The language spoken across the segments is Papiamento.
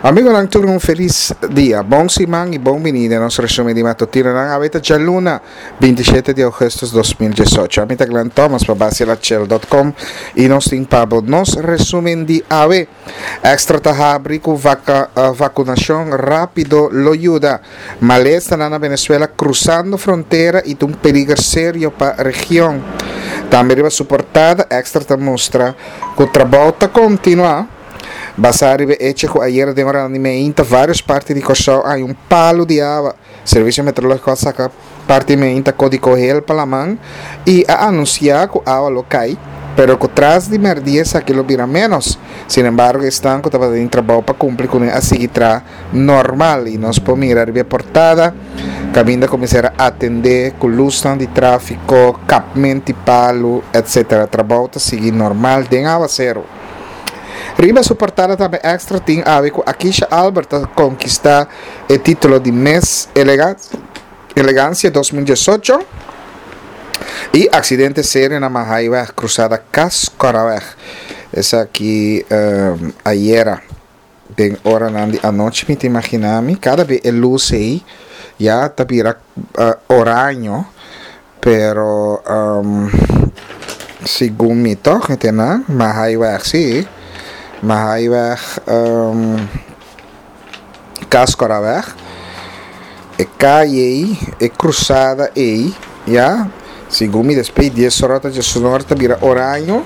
Amigonan tur un felis dia, bon siman y bon bini den nos resumen di matutinonan. Awe ta djaluna 27 di augustus 2018. Ami ta Glenn Thomas pa basielachel.com y nos tin pa bo nos resumen di awe. Extra ta habri cu vaca, uh, vacunacion rapido lo yuda. Malesanan na Venezuela cruzando frontera y ta un peliger serio pa region. Tambe riba su portada Extra ta mustra cu trabou ta continua. Basá riba e echo ku ayera den oranan di meinta vários parti di Kòrsou a haña un palu di awa, Servisio Meteorológiko a saka parti meinta kódigo hel pa laman i a anunsiá ku awa lo kai, pero ku tras di mèrdia esaki lo bira ménos. Sin embargo, esnan ku tabata den trabou pa kumpli kuné a sigui traha normal i nos por mira riba e portada kaminda ku mester a atendé ku lusnan di tráfiko, kapment di palu, etc. Trabou ta sigui normal den awaseru. Riba su portada tambe Extra tin awe ku Akisha Albert ta konkistá e título di Miss Elegancia 2018 i aksidente serio na Mahaiweg, krusada Kas-Koraweg. Esaki ayera. Den oranan di anochi mi ta imaginá mi kada be e lus ei ya ta bira oraño, pero segun mi tòg mi ta na Mahaiweg sí, Mahaiweg Kaskoraweg, e kaye ei, e krusada ei, ya, segun mi despues di dies ora ta diesunora ta bira oraño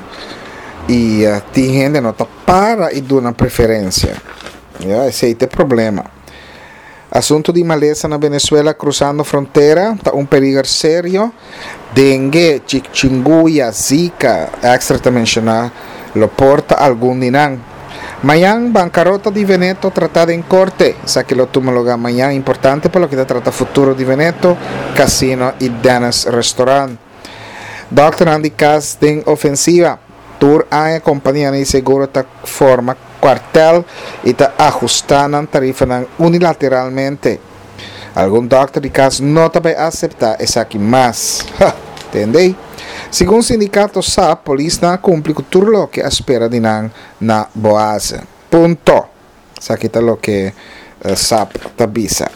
i tin hende no ta. Para y duna preferencia. Ya, esey ta e problema. Asunto di malesa na Venezuela cruzando frontera ta un peliger serio. Dengue, chichinguya, zika, extra ta menciona, lo por ta algun di nan. Mañan, bancarota di Veneto trata den corte. Esaki lo tuma lugar mañan, importante pa loke ta trata futuro di Veneto, Casino y Dennis Restaurant. Dokternan di kas den ofensiva. Tur aña kompanianan di seguro ta forma kuartel i ta ahustá nan tarifanan unilateralmente. Algun dòkter di kas no ta bai aseptá esaki mas. Ha! Tende? Segun sindikato sa, polisnan a kumpli ku tur loke a spera di nan na Boaze. Punto. Esaki ta loke sap ta bisa.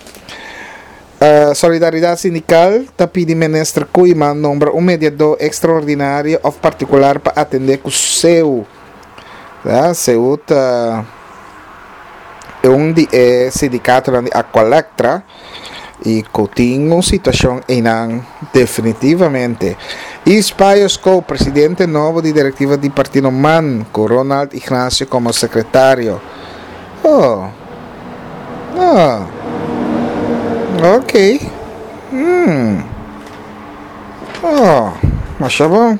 Solidaridad Sindical ta pidi Minister Koeiman nombra un mediador extraordinario of particular pa atende cu SEU. SEU ta un di e sindicatonan di Aqualectra y cu tin un situacion eynan definitivamente. Yves Payo presidente nobo di directiva di Partido man, cu Ronald Ignacio como secretario. Oh. Oh. Ok. Hmm. Oh, masha bon.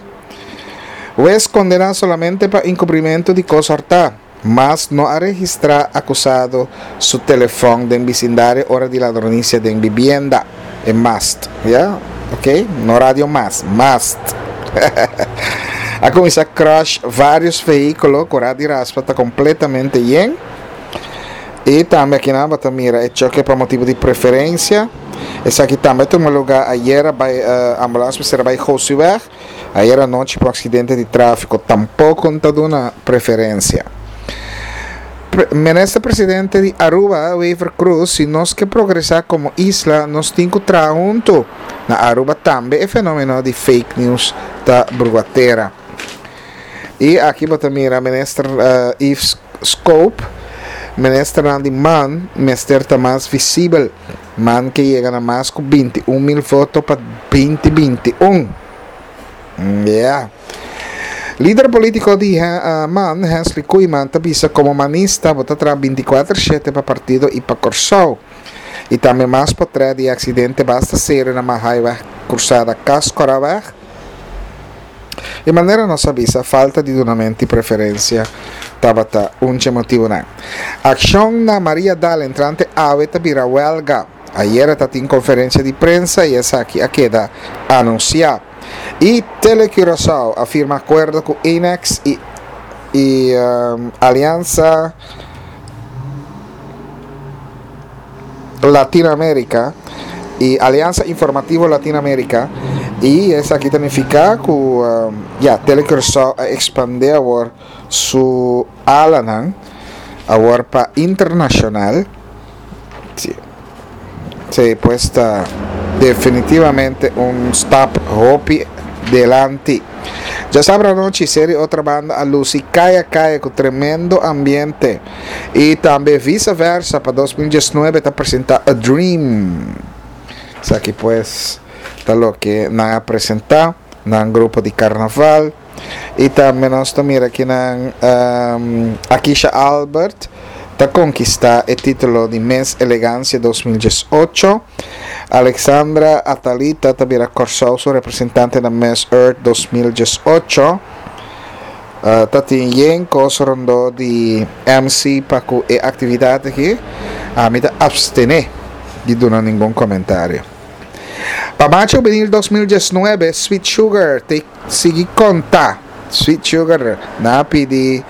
Wes condena solamente pa encubrimento di cos horta. Mas no a registrá akusado su telefòn den bisindario ora di ladronisia den bibienda. E mast, ya, ok, no radio mas, mast. A kuminsá crush vários vehíkulo ku rad di raspa ta kompletamente yen. I tambe akinan bo ta mira e choke pa motibu di preferensia. Esaki tambe a tuma lugá ayera bai ambulans mester a bai Gosiweg. Ayer anochi pa un aksidente di tráfiko tampoko no ta duna preferensia. Minister Presidente di Aruba, Wever Croes, si nos ke progresá komo isla nos tin ku traha huntu. Na Aruba tambe e fenomeno di fake news ta brua tera. I aki bo ta mira Minister Yves Scope, Ministernan di man mester ta mas visibel. Man ke yega na mas ku 21 mil voto pa 2021. Yeah. Lider politiko di man, Hensley Koeiman, ta bisa komo manista bo ta traha bintikuater shete pa partido i pa Kòrsou. I tambe mas potrèt di e aksidente basta serio na Mahaiweg krusada Kaskoraweg. I manera nos a bisa, falta di dunamento di preferensia tabata un dje motibunan. Akshon na Maria Dal entrante awe ta bira wèlga. Ayera ta tin konferensia di prensa i esaki a keda anunsiá. I Tele Curaçao a firma akuerdo ku Enex i i Aliansa Latino America y Alianza Informativo Latino America y esaki ta nifica cu ya Tele Curaçao a expande awor su alanan. Awor pa internacional, si, si pues ta definitivamente un stap hopi delanti. Djasabra anochi Seri Otra Banda a luci caya caya cu tremendo ambiente y tambe Visa Versa pa 2019 ta presenta A Dream. Esaki pues ta loke nan a presenta, nan grupo di carnaval. Y tambe nos ta mira kinan Akisha Albert ta conquista e titulo di Miss Elegancia 2018. Alexandra Atalita ta bira Corsou su representante na Miss Earth 2018. Uh, ta tin yen cos rondo di MC pa cu e actividad aki. Ami ta abstene di duna ningun comentario. Pa macho benil 2019, Sweet Sugar te Sigui konta. Sweet Sugar nan a pidi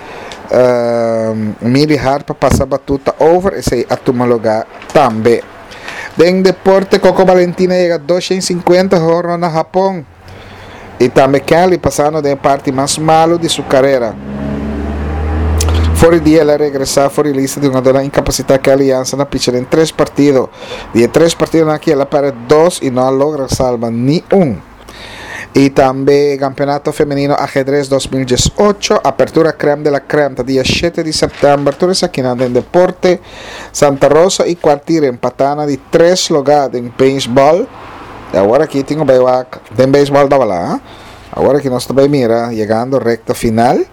Milly Hart pa pasa batuta over, esei a tuma lugá tambe. Den deporte Coco Valentina a yega 250 horno na Hapon i tambe Kelly pasando den e parti mas malu di su karera. For di dia el a regresá for di lista di hungadónan inkapasitá Kelly Jansen a picha den tres partido. Di e tres partidonan aki el a pèrdè dos i no a logra salba ni un. Y tambe Campeonato Femenino Ajedrez 2018, Apertura Crème de la Crème ta dia 7 di september, tur esakinan den deporte. Santa Rosa y Kwartier empata na di tres lugar den baseball. Y awor aki tin cu bay wak den baseball tabala, ha? Awor aki nos ta bay mira yegando recta final.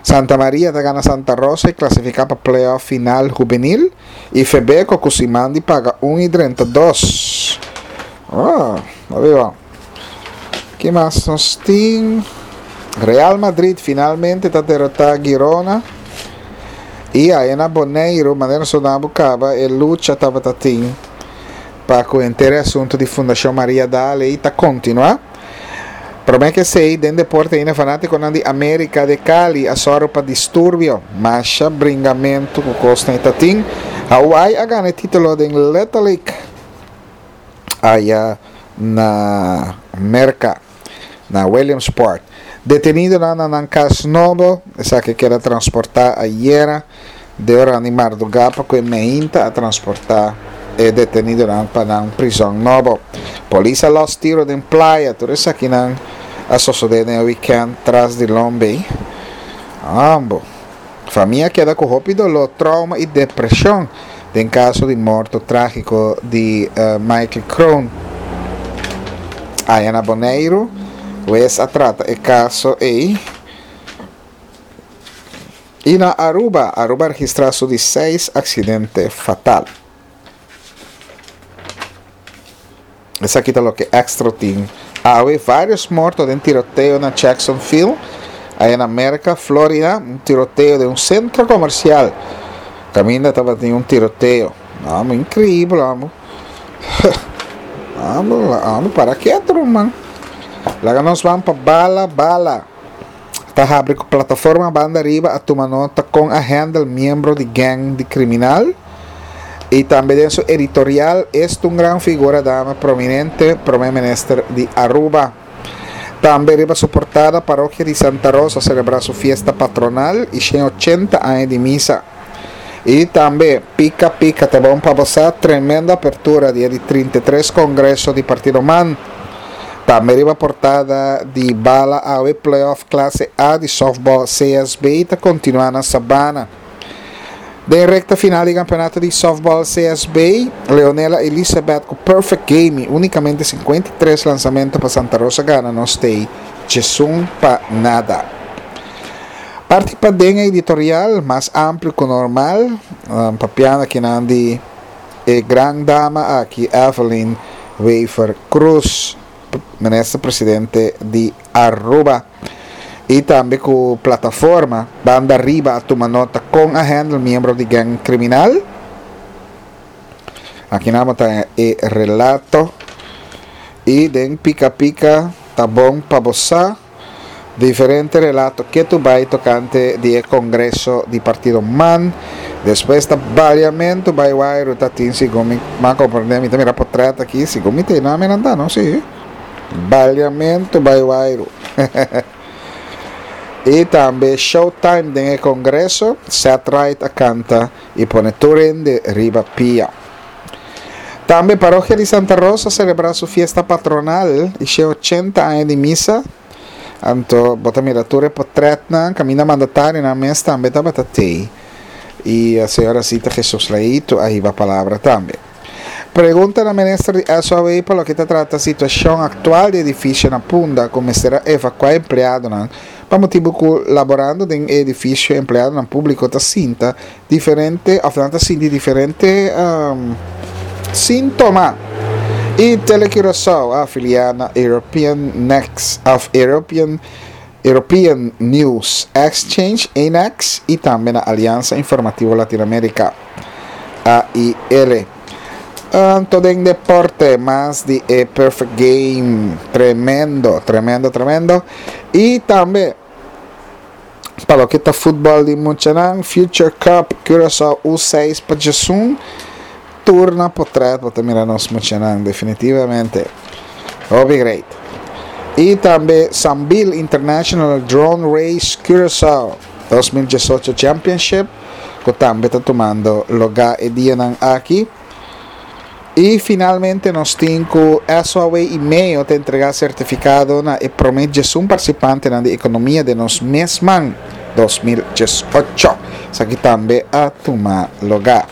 Santa Maria ta gana Santa Rosa y clasifica pa playoff final hubenil y Febeco cu siman di paga un y drenta dos. Oh, arriba. Ki mas nos tin? Real Madrid finalmente ta derrota Girona. Y ahí na Boneiru, manera nos a caba, e lucha tabata tin pa cu henter e asunto di Fundacion Maria Daal ey ta continua. Prome ke esey, den deporte ainda fanaticonan di America de Cali a sòru pa disturbio. Masha bringamento cu cosnan y ta tin. Hawaii a gana e titulo den Little League aya na Merca, na Williamsport. Detenidonan na nan cas nobo, esaki keda transporta ayera. De ora di mardugá pa ku e meinta a transportá e detenidonan pa nan prizòn nobo. Polis a lòs tiro den playa. Tur esakinan a sosodé den e wikènt tras di Lombey. Ambo famia a keda ku hopi doló, trouma i depreshon den kaso di morto trágiko di Michael Kroon. Aya na Boneiru, wes a trata e kaso ei. Y na Aruba, Aruba a registra su di seis accidente fatal. Esaki ta loke Extra tin awe. Varios morto den tiroteo na Jacksonville, aya na Merca, Florida, un tiroteo den un centro comercial. Caminda tabatin un tiroteo. Amo, increíble, amo. Amo, amo, para keto, man. Laga nos van pa bala, bala. Ta habri ku plataforma banda riba a tuma nota kon a handle miembro di gang di kriminal i tambe den su editorial Esto un gran figura dama prominente Prome Minister di Aruba. Tambe riba su portada Parokia di Santa Rosa selebrá su fiesta patronal i 180 aña di misa. I tambe Pika Pika ta bon pa bo sa tremendo apertura di e di 33 Kongreso di Partido man. Tambe riba portada di Bala awe playoff klase A di softball CSB ta kontinuá na Sabana. Den rekta final di kampeonato di softball CSB, Leonela Elizabeth ku perfect game i únikamente 53 lansamento pa Santa Rosa gana nos tei 11 pa nada. Parti paden e editorial mas amplio ku normal, papiando akinan di E gran dama aki Evelyn Wever Croes, Minister Presidente di Aruba. Y tambe cu plataforma Banda Riba a tuma nota con a handle miembro di gang criminal. Aki nan bo ta e relato. Y den Pica Pica ta bon pa bo sa. Diferente relato ketu bai tokante di e kongreso di partido man. Despues ta baliamentu bai wairu ta tin segun mi a komprende mi ta mira potret aki segun mi ta e nami nan ta no si. Baliamentu bai wairu. I tambe Showtime den e kongreso, Seth Wright a kanta i pone tur hende riba pia. Tambe Parokia di Santa Rosa a selebrá su fiesta patronal i she ochenta aña di misa. Anto bo ta mira tur e potrètnan kaminda mandatarionan mes tambe tabata tei. I señora Zita Jesus Leito a hiba palabra tambe. Pregunta na minister di SOAW pa loke ta trata situashon aktual di edifisio na Punda ku mester a evakuá empleadonan pa motibu ku laborando den e edifisio empleadonan públiko ta sinta diferente òf nan ta sinti diferente síntoma. I Telecuraçao a afiliá na European Next òf European European News Exchange, ENEX, i tambe na Aliansa Informativo Latinoamérika, AIL. Anto den deporte, mas di e Perfect Game, tremendo, tremendo, tremendo. I tambe pa loke ta futbòl di muchanan, Future Cup Curaçao U6 pa djesun, tur na potret bo ta mira nos muchanan definitivamente. Hopi great. I tambe Sambil International Drone Race Curaçao 2018 Championship ku tambe ta tumando lugá e dianan aki. I finalmente nos tin ku SOAW i meo ta entregá sertifikado na e promé djesun partisipantenan di Ekonomia den nos mes man 2018. Esaki tambe a tuma lugá.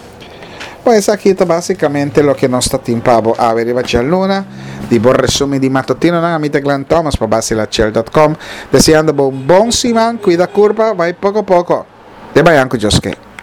Bon, esaki ta básicamente loke nos ta tin pa bo awe riba djaluna. Di bo resumen di matutinonan, ami ta Glenn Thomas pa Basilachel.com, deseando bo un bon siman, cuida curpa, bai poco poco. Te bayan cu Dios ke.